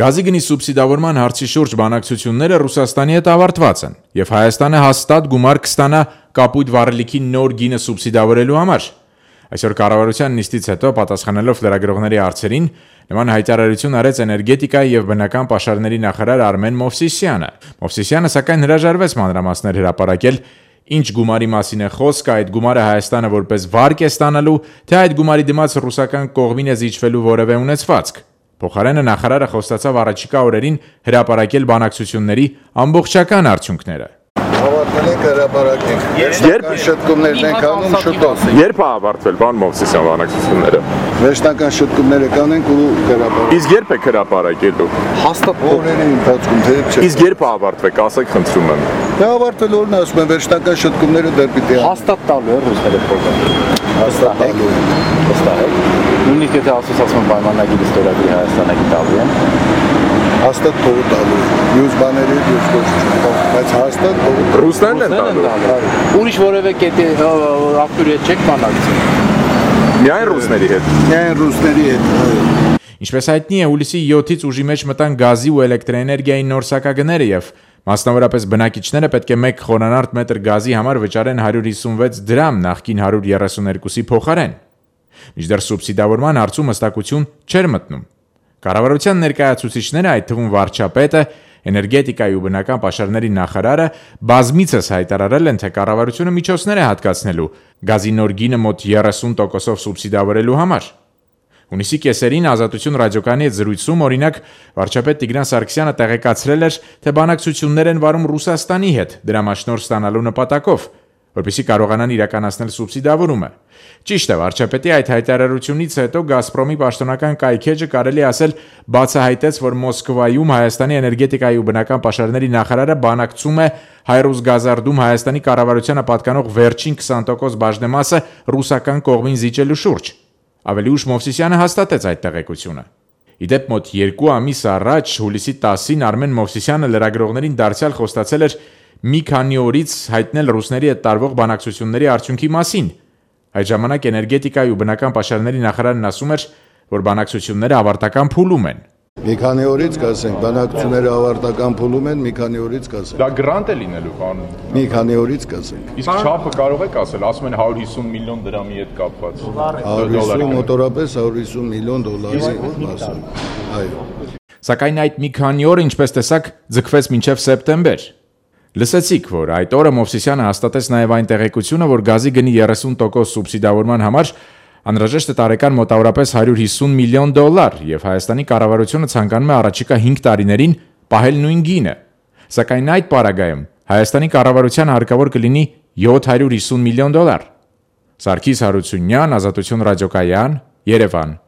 Գազի գնի սուբսիդավորման հարցի շուրջ բանակցությունները Ռուսաստանի հետ ավարտված են, եւ Հայաստանը հաստատ գումար կստանա կապույտ վառելիքի նոր գինը սուբսիդավորելու համար։ Այսօր կառավարության նիստից հետո պատասխանելով լրագրողների հարցերին, նման հայտարարություն արեց էներգետիկայի եւ բնական պաշարների նախարար Արմեն Մովսիսյանը։ Մովսիսյանը սակայն հրաժարվեց մանրամասներ հրապարակել, ինչ գումարի մասին է խոսքը, այդ գումարը Հայաստանը որպես վարկ է ստանալու, թե այդ գումարի դիմաց ռուսական կողմին է զիջվելու որևէ ունեցվածք։ Փոխարենը նախարարը խոստացավ առաջիկա օրերին հրապարակել բանակցությունների ամբողջական արդյունքները։ Ավարտվել են հրապարակենք։ Երբ շտկումներն են կանում շուտով։ Երբ է ավարտվել բան Մովսիսյան բանակցությունները։ Վերջնական շտկումները կանենք ու հրապարակ։ Իսկ երբ եք հրապարակելու։ Հաստատ օրերի ընթացքում թե չէ։ Իսկ երբ է ավարտվեք, ասեք խնդրում եմ։ Դա ավարտվել օրն ասում են վերջնական շտկումները դեռ պիտի հաստատ տալու է ռուսները փոխել։ հաստատ տալու է։ Վստահ։ Նույնիսկ եթե ասոցիացիոն պայմանագիր ստորագրի Հայաստանը գիտալու են, հաստատ փողը տալու է։ Մյուս բաների ես ոչ չեմ, բայց հաստատ փողը Ռուսներն են տալու։ Ուրիշ որևէ կետի աղբյուրի հետ չեք բանակցում։ Միայն ռուսների հետ։ Միայն ռուսների հետ, այո։ Ինչպես հայտնի է, հուլիսի 7-ից ուժի մեջ մտան գազի ու էլեկտրաէներգիայի նոր սակագները եւ մասնավորապես բնակիչները պետք է 1 խորանարդ մետր գազի համար վճարեն 156 դրամ նախկին 132-ի փոխարեն։ Մինչդեռ սուբսիդավորման հարցում հստակություն չէր մտնում։ Կառավարության ներկայացուցիչները, այդ թվում վարչապետը, էներգետիկայի ու բնական պաշարների նախարարը բազմիցս հայտարարել են, թե կառավարությունը միջոցներ է հատկացնելու գազի նոր գինը մոտ 30%-ով սուբսիդավորելու համար։ Հունիսի կեսերին Ազատություն ռադիոկայանի հետ զրույցում, օրինակ, վարչապետ Տիգրան Սարգսյանը տեղեկացրել էր, թե բանակցություններ են վարում Ռուսաստանի հետ դրամաշնորհ ստանալու նպատակով, որպեսզի կարողանան իրականացնել սուբսիդավորումը։ Ճիշտ է, վարչապետի այդ հայտարարությունից հետո Գազպրոմի պաշտոնական կայքեջը կարելի ասել բացահայտեց, որ Մոսկվայում Հայաստանի էներգետիկայի ու բնական պաշարների նախարարը բանակցում է Հայրուսգազարդում Հայաստանի կառավարությանը պատկանող վերջին 20% բաժնեմասը ռուսական կողմին զիջելու շուրջ։ Ավելի ուշ Մովսիսյանը հաստատեց այդ տեղեկությունը։ Իդեպ մոտ 2 ամիս առաջ, հուլիսի 10-ին Արմեն Մովսիսյանը լրագրողներին դարձյալ խոստացել էր մի քանի օրից հայտնել ռուսների հետ տարվող բանակցությունների արդյունքի մասին։ Այդ ժամանակ էներգետիկայի ու բնական պաշարների նախարարն ասում էր, որ բանակցությունները ավարտական փուլում են։ Մի քանի օրից կասենք, բանակցությունները ավարտական փուլում են, մի քանի օրից կասենք։ Դա գրանտ է լինելու, պարոն։ Մի քանի օրից կասենք։ Իսկ չափը կարող եք ասել, ասում են 150 միլիոն դրամի հետ կապված։ 150 մոտորապես 150 միլիոն դոլարի մասը։ Այո։ Սակայն այդ մի քանի օր, ինչպես տեսակ, ձգվեց մինչև սեպտեմբեր։ Լսեցիք, որ այդ օրը Մովսիսյանը հաստատեց նաև այն տեղեկությունը, որ գազի գնի 30% սուբսիդավորման համար անհրաժեշտ է տարեկան մոտավորապես 150 միլիոն դոլար, եւ Հայաստանի կառավարությունը ցանկանում է առաջիկա 5 տարիներին պահել նույն գինը։ Սակայն այդ պարագայում Հայաստանի կառավարությանը հարկավոր կլինի 750 միլիոն դոլար։ Սարգիս Հարությունյան, Ազատություն ռադիոկայան, Երևան։